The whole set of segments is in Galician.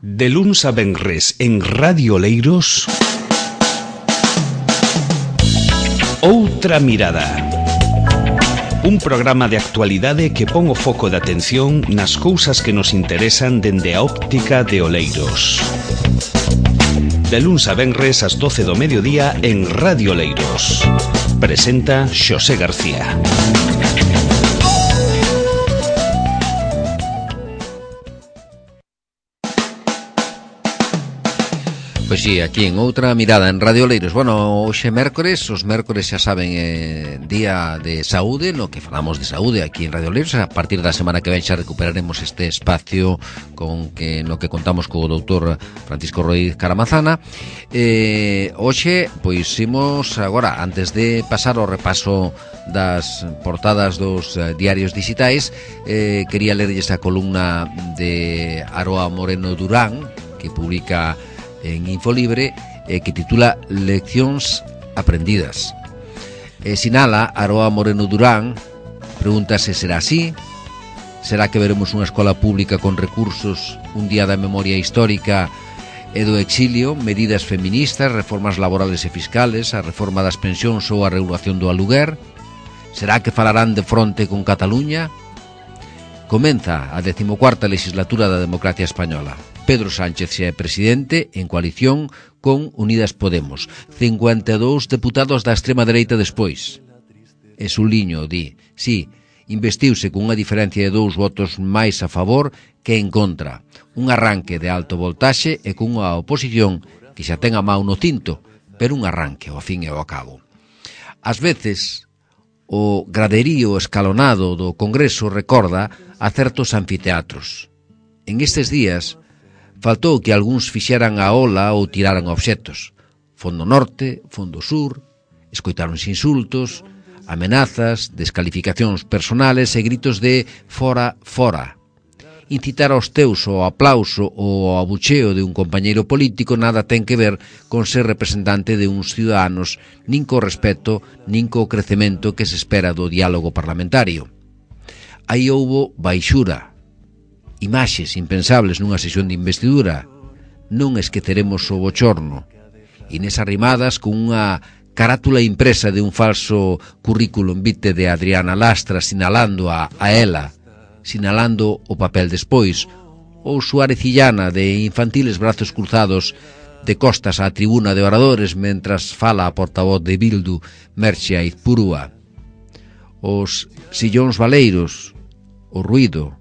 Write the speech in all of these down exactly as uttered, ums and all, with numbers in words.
De luns a venres en Radio Oleiros, Outra Mirada. Un programa de actualidade que pon o foco de atención nas cousas que nos interesan dende a óptica de Oleiros. De luns a venres ás doce do mediodía en Radio Oleiros. Presenta Xosé García. Pois sí, aquí en Outra Mirada en Radio Oleiros. Bueno, hoxe é mércores, os mércores xa saben, é día de saúde, no que falamos de saúde aquí en Radio Oleiros. A partir da semana que ven xa recuperaremos este espacio con que no que contamos co doutor Francisco Ruiz Caramazana. Eh, hoxe, pois imos agora, antes de pasar ao repaso das portadas dos uh, diarios digitais, eh, quería lerlles a columna de Aroa Moreno Durán, que publica en Infolibre, eh, que titula Leccións aprendidas. Eh, sinala Aroa Moreno Durán, pregúntase, será así? Será que veremos unha escola pública con recursos, un día da memoria histórica e do exilio, medidas feministas, reformas laborales e fiscales, a reforma das pensións ou a regulación do aluguer? Será que falarán de fronte con Cataluña? Comeza a decimocuarta legislatura da democracia española. Pedro Sánchez xa é presidente en coalición con Unidas Podemos. cincuenta e dous deputados da extrema dereita despois. E Suliño di, sí, investiuse con unha diferencia de dous votos máis a favor que en contra. Un arranque de alto voltaxe e con unha oposición que xa ten a mau no cinto, pero un arranque ao fin e ao cabo. Ás veces, o graderío escalonado do Congreso recorda a certos anfiteatros. En estes días, faltou que algúns fixeran a ola ou tiraran obxetos. Fondo norte, fondo sur, escoitáronse insultos, amenazas, descalificacións personales e gritos de fora, fora. Incitar aos teus ao aplauso ou ao abucheo de un compañeiro político nada ten que ver con ser representante de uns ciudadanos, nin co respeto, nin co crecemento que se espera do diálogo parlamentario. Aí houbo baixura, imaxes impensables nunha sesión de investidura. Non esqueceremos o bochorno. Inés Arrimadas con unha carátula impresa de un falso currículum vitae de Adriana Lastra sinalando a, a ela, sinalando o papel despois, ou Suárez Illana de infantiles brazos cruzados de costas á tribuna de oradores mentras fala a portavoz de Bildu, Merche Aizpurúa. Os sillóns valeiros, o ruído,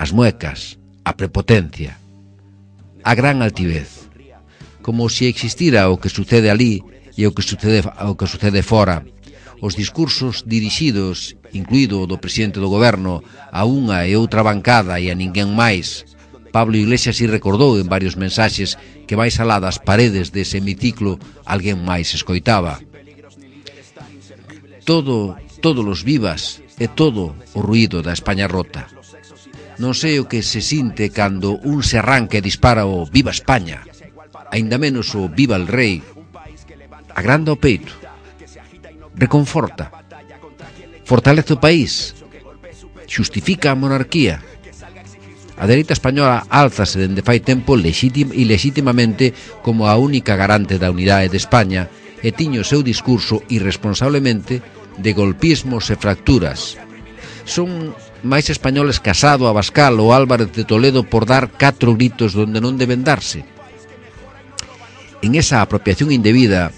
as muecas, a prepotencia, a gran altivez, como se existira o que sucede ali e o que sucede, o que sucede fora. Os discursos dirixidos, incluído o do presidente do goberno, a unha e outra bancada e a ninguén máis. Pablo Iglesias si recordou en varios mensaxes que máis alá das paredes dese hemiciclo alguén máis escoitaba. Todo, todos os vivas e todo o ruído da España rota. Non sei o que se sinte cando un se arranca e dispara o Viva España, aínda menos o Viva el Rei. Agranda o peito, reconforta, fortalece o país, xustifica a monarquía. A dereita española álzase dende fai tempo lexitim, ilexitimamente como a única garante da unidade de España e tiño o seu discurso irresponsablemente de golpismos e fracturas. Son máis españoles Casado, Abascal ou Álvarez de Toledo por dar catro gritos donde non deben darse. En esa apropiación indebida,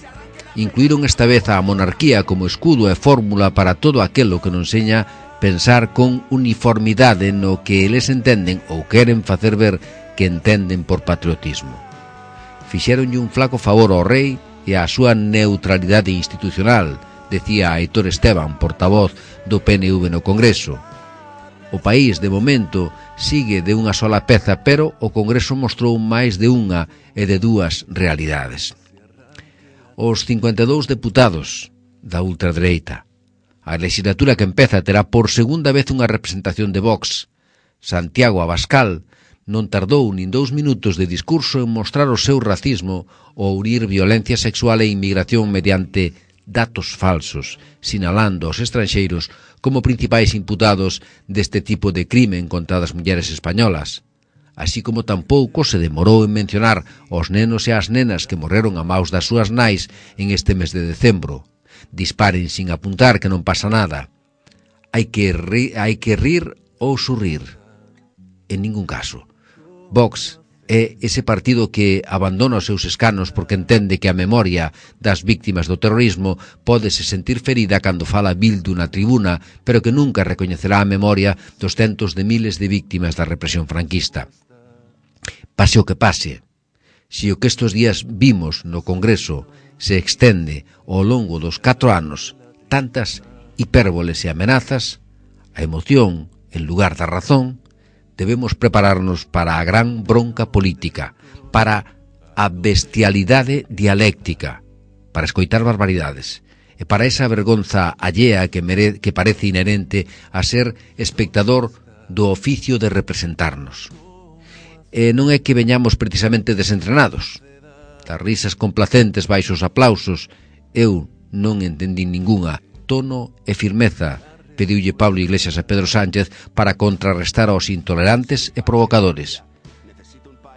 incluíron esta vez a monarquía como escudo e fórmula para todo aquelo que non enseña pensar con uniformidade no que eles entenden ou queren facer ver que entenden por patriotismo. Fixéronlle un flaco favor ao rei e á súa neutralidade institucional, decía Aitor Esteban, portavoz do P N V no Congreso. O país, de momento, sigue de unha sola peza, pero o Congreso mostrou máis de unha e de dúas realidades. Os cincuenta e dous deputados da ultradereita. A legislatura que empeza terá por segunda vez unha representación de Vox. Santiago Abascal non tardou nin dous minutos de discurso en mostrar o seu racismo ou unir violencia sexual e inmigración mediante datos falsos, sinalando aos estranxeiros como principais imputados deste tipo de crimen contra as mulleres españolas. así como tampouco se demorou en mencionar os nenos e as nenas que morreron a maus das súas nais en este mes de decembro. Disparen sin apuntar, que non pasa nada. Hai que, ri, hai que rir ou surrir. En ningún caso. Vox é ese partido que abandona os seus escanos porque entende que a memoria das víctimas do terrorismo pódese sentir ferida cando fala Bildu na tribuna, pero que nunca recoñecerá a memoria dos centos de miles de víctimas da represión franquista. Pase o que pase, se o que estes días vimos no Congreso se extende ao longo dos catro anos, tantas hipérboles e amenazas, a emoción, en lugar da razón, debemos prepararnos para a gran bronca política, para a bestialidade dialéctica, para escoitar barbaridades, e para esa vergonza allea que, mere, que parece inherente a ser espectador do oficio de representarnos. E non é que veñamos precisamente desentrenados. Das risas complacentes baixo os aplausos, eu non entendín ningunha. Tono e firmeza pediulle Pablo Iglesias a Pedro Sánchez para contrarrestar aos intolerantes e provocadores.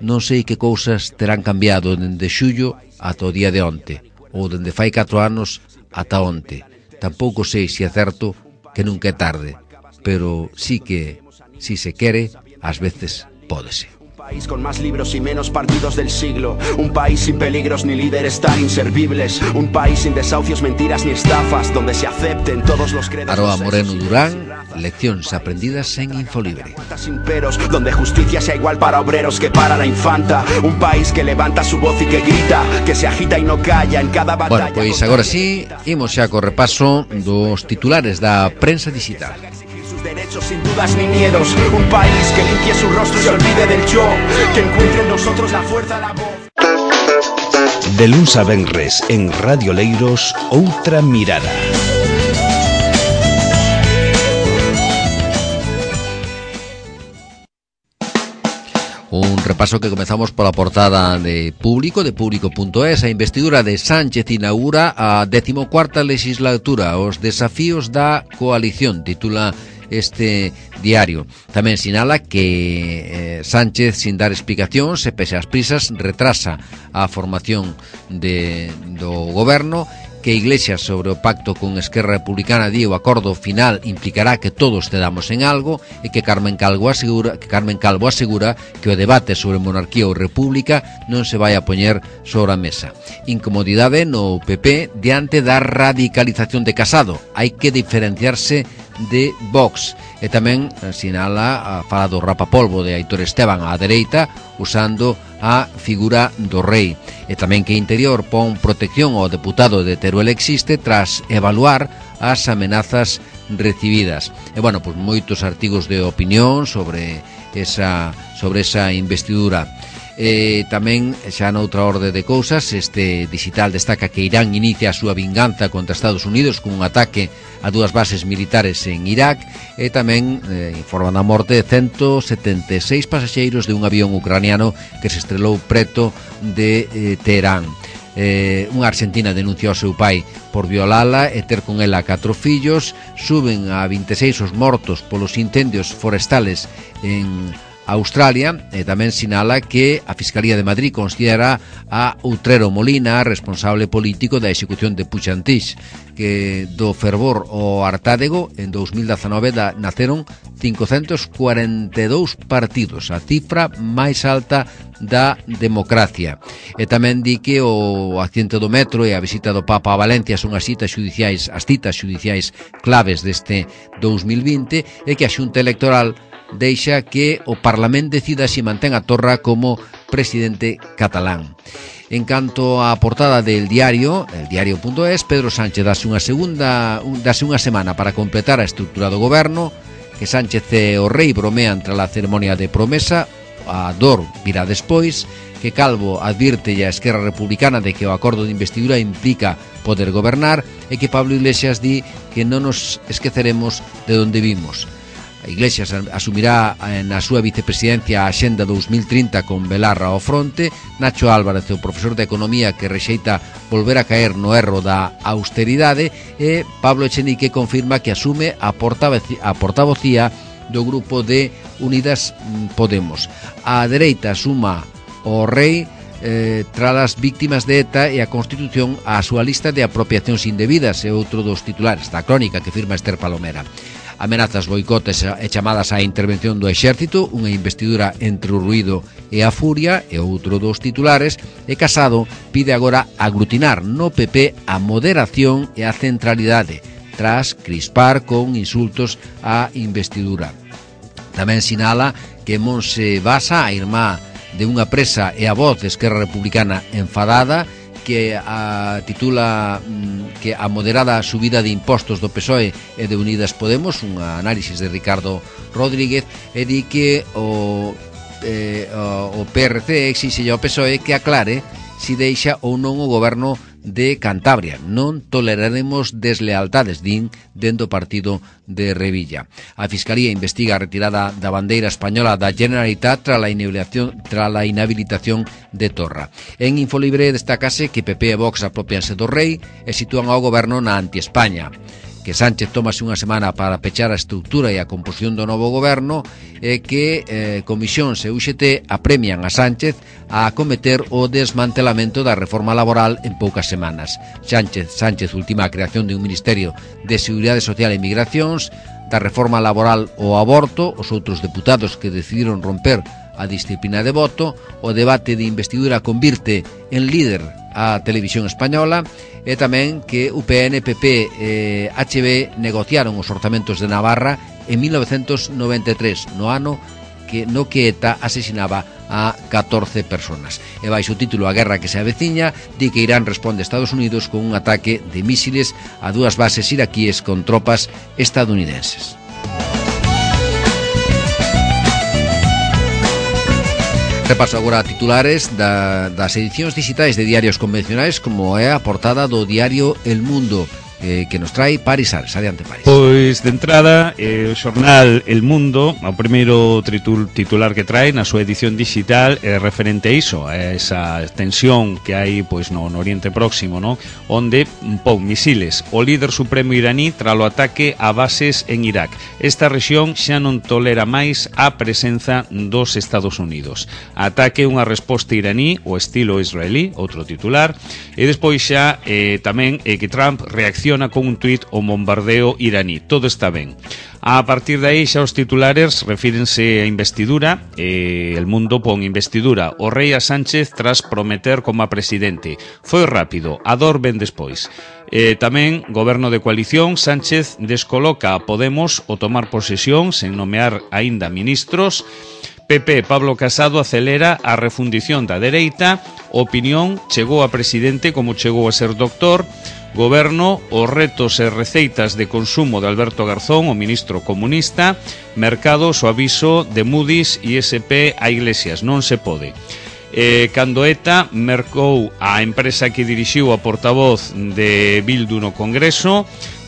Non sei que cousas terán cambiado dende xullo ata o día de onte, ou dende fai catro anos ata onte. Tampouco sei se é certo que nunca é tarde, pero sí que, si se quere, ás veces pódese. Un país con más libros y menos partidos del siglo. Un país sin peligros ni líderes tan inservibles. Un país sin desahucios, mentiras ni estafas, donde se acepten todos los credos. Aroa Moreno Durán, leccións aprendidas en Infolibre. Sin peros, donde justicia sea igual para obreros que para la infanta. Un país que levanta su voz y que grita, que se agita y no calla en cada batalla. Bueno, pois agora sí, imos xa co repaso dos titulares da prensa digital. Derechos sin dudas ni miedos. Un país que limpie su rostro y se olvide del yo, que encuentre en nosotros la fuerza, la voz. De luns a venres en Radio Leiros, Outra Mirada. Un repaso que comezamos pola portada de Público, de público punto es. A investidura de Sánchez inaugura a decimocuarta legislatura, os desafíos da coalición, titula este diario. Tamén sinala que eh, Sánchez, sin dar explicacións e pese ás prisas, retrasa a formación de, do goberno, que Iglesias sobre o pacto con Esquerra Republicana di o acordo final implicará que todos cedamos en algo, e que Carmen Calvo asegura que Carmen Calvo asegura que o debate sobre monarquía ou república non se vai a poñer sobre a mesa. Incomodidade no P P diante da radicalización de Casado. Hai que diferenciarse de Vox. E tamén sinala a fala do rapapolvo de Aitor Esteban á dereita, usando a figura do rei. E tamén que Interior pon protección ao deputado de Teruel Existe tras evaluar as amenazas recibidas. E bueno, pois moitos artigos de opinión sobre esa sobre esa investidura. E tamén, xa noutra orde de cousas, este digital destaca que Irán inicia a súa vinganza contra Estados Unidos con un ataque a dúas bases militares en Irak, e tamén eh, informan a morte de ciento setenta e seis pasaxeiros de un avión ucraniano que se estrelou preto de eh, Teherán. Eh, unha argentina denuncia ao seu pai por violala e ter con ela catro fillos. Suben a vinte e seis os mortos polos incendios forestales en Australia, e tamén sinala que a Fiscalía de Madrid considera a Outrero Molina responsable político da execución de Puigdemont, que do fervor ao Artádego en dous mil dezanove da, naceron cincocentos cuarenta e dous partidos, a cifra máis alta da democracia. E tamén di que o accidente do metro e a visita do Papa a Valencia son as citas xudiciais, as citas xudiciais claves deste dous mil vinte, e que a Xunta Electoral deixa que o Parlamento decida se mantén a Torra como presidente catalán. En canto á portada del diario, el diario punto es, Pedro Sánchez dase unha segunda, dase unha semana para completar a estrutura do goberno, que Sánchez e o rei bromean tras a ceremonia de promesa, a dor virá despois, que Calvo advirte a Esquerra Republicana de que o acordo de investidura implica poder gobernar, e que Pablo Iglesias di que non nos esqueceremos de onde vimos. A Iglesias asumirá na súa vicepresidencia a Axenda dous mil trinta con Belarra ao fronte. Nacho Álvarez, o profesor de Economía, que rexeita volver a caer no erro da austeridade, e Pablo Echenique confirma que asume a portavocía do grupo de Unidas Podemos. A dereita suma o rei eh, tras as víctimas de ETA e a Constitución a súa lista de apropiacións indebidas, é outro dos titulares da crónica que firma Esther Palomera. Amenazas, boicotes e chamadas á intervención do exército, unha investidura entre o ruído e a furia, e outro dos titulares, e Casado pide agora aglutinar no P P a moderación e a centralidade, tras crispar con insultos á investidura. Tamén sinala que Monse Basa, a irmá de unha presa e a voz de Esquerra Republicana enfadada, que a, titula que a moderada subida de impostos do P S O E e de Unidas Podemos, unha análisis de Ricardo Rodríguez, e di que o, eh, o P R C exixe ao P S O E que aclare si deixa ou non o goberno de Cantabria. Non toleraremos deslealtades, din dentro do partido de Revilla. A Fiscalía investiga a retirada da bandeira española da Generalitat tras a inhabilitación, tras a inhabilitación de Torra. En Infolibre destacase que P P e Vox apropianse do rei e sitúan ao goberno na anti-España, que Sánchez tomase unha semana para pechar a estrutura e a composición do novo goberno, e que eh, Comisións e U X T apremian a Sánchez a acometer o desmantelamento da reforma laboral en poucas semanas. Sánchez, Sánchez ultima a creación de un Ministerio de Seguridade Social e Migracións, da reforma laboral o aborto, os outros deputados que decidiron romper a disciplina de voto, o debate de investidura convirte en líder a televisión española, e tamén que U P N, P P e H B negociaron os orzamentos de Navarra en mil novecentos noventa e tres, no ano que no que ETA asesinaba a catorce personas. E baixo o título A guerra que se aveciña, di que Irán responde a Estados Unidos con un ataque de mísiles a dúas bases iraquíes con tropas estadounidenses. Repaso agora titulares da, das edicións digitais de diarios convencionais, como é a portada do diario El Mundo, eh, que nos trae Paris Ares. Adiante, Paris. Pois, de entrada, eh, o xornal El Mundo, o primeiro tritul, titular que trae na súa edición digital é referente a iso, a esa tensión que hai pois no, no Oriente Próximo, no? Onde pon misiles o líder supremo iraní tras o ataque a bases en Irak. Esta rexión xa non tolera máis a presenza dos Estados Unidos. Ataque unha resposta iraní, o estilo israelí, outro titular, e despois xa eh, tamén eh, que Trump reacciona con un tuit ao bombardeo iraní. Todo está ben. A partir de aí xa os titulares refírense a investidura. eh, El Mundo pon investidura o rei a Sánchez tras prometer como a presidente. Foi rápido, a dor ven despois. Eh, tamén, goberno de coalición, Sánchez descoloca a Podemos o tomar posesión sen nomear aínda ministros. P P, Pablo Casado acelera a refundición da dereita. Opinión, chegou a presidente como chegou a ser doctor. Goberno, os retos e receitas de consumo de Alberto Garzón, o ministro comunista. Mercados, o aviso de Moody's e S P a Iglesias. Non se pode. Eh, cando ETA mercou a empresa que dirixiu a portavoz de Bildu no Congreso.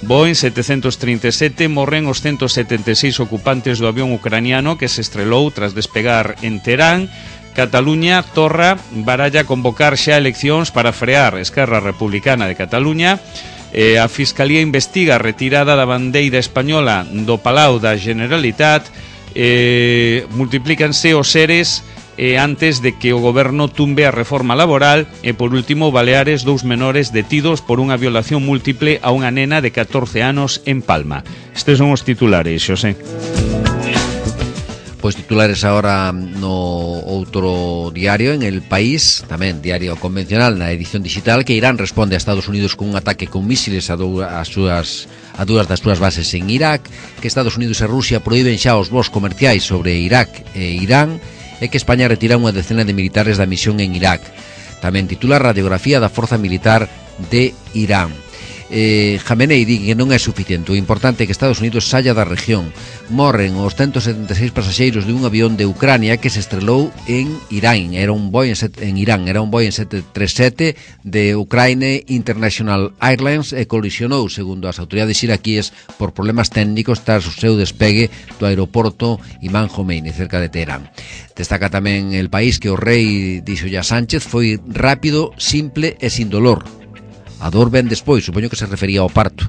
Boeing setecientos treinta e sete, morren os ciento setenta e seis ocupantes do avión ucraniano que se estrelou tras despegar en Teherán. Cataluña, Torra baralla convocar xa eleccións para frear Esquerra Republicana de Cataluña. Eh, a Fiscalía investiga a retirada da bandeira española do Palau da Generalitat. Eh, multiplícanse os seres E antes de que o goberno tumbe a reforma laboral. E por último, Baleares, dous menores detidos por unha violación múltiple a unha nena de catorce anos en Palma. Estes son os titulares, Xosé. Pois titulares agora no outro diario, en El País, tamén diario convencional na edición digital, que Irán responde a Estados Unidos con un ataque con mísiles a, do, a, súas, a dúas das súas bases en Irak, que Estados Unidos e Rusia proíben xa os voos comerciais sobre Irak e Irán, e que España retira unha decena de militares da misión en Irak. Tamén titula Radiografía da Forza Militar de Irán. Eh, Jamenei di que non é suficiente. O importante é que Estados Unidos saia da región. Morren os ciento setenta e seis pasaxeiros de un avión de Ucrania que se estrelou en Irán. Era un Boeing en Irán, era un Boeing sete treinta e sete de Ukraine International Airlines e colisionou, segundo as autoridades iraquíes, por problemas técnicos tras o seu despegue do aeroporto Imam Khomeini, cerca de Teherán. Destaca tamén El País que o rei dixolle a Sánchez foi rápido, simple e sin dolor. A dor ven despois, supoño que se refería ao parto.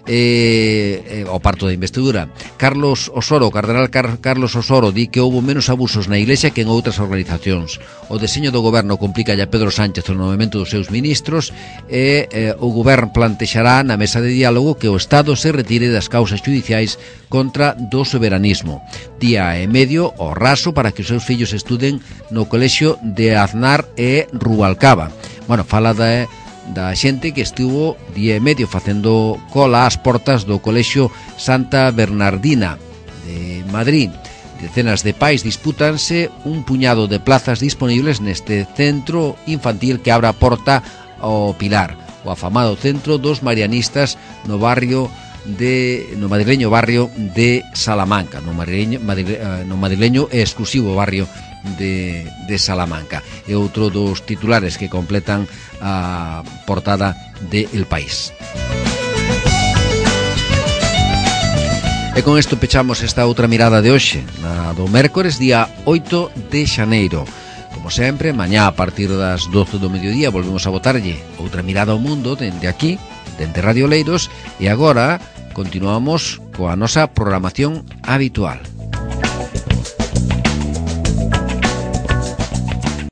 eh, eh, o parto da investidura. Carlos Osoro, o cardenal Car Carlos Osoro, di que houbo menos abusos na Iglesia que en outras organizacións. O deseño do goberno complica a Pedro Sánchez o movimento dos seus ministros e eh, o goberno plantexará na mesa de diálogo que o Estado se retire das causas judiciais contra do soberanismo. Día e medio o raso para que os seus fillos estuden no colexio de Aznar e Rubalcaba. Bueno, fala da, da xente que estivo día e medio facendo cola ás portas do colexio Santa Bernardina de Madrid. Decenas de pais dispútanse un puñado de plazas disponibles neste centro infantil que abre a porta ao Pilar, o afamado centro dos marianistas no barrio de no madrileño barrio de Salamanca, no madrileño, madrile, no madrileño e exclusivo barrio de, de Salamanca. É outro dos titulares que completan a portada de El País. E con isto pechamos esta outra mirada de hoxe, na do mércores, día oito de xaneiro. Como sempre, mañá a partir das doce do mediodía volvemos a botarlle outra mirada ao mundo dende aquí, dende Radio Oleiros, e agora continuamos coa nosa programación habitual.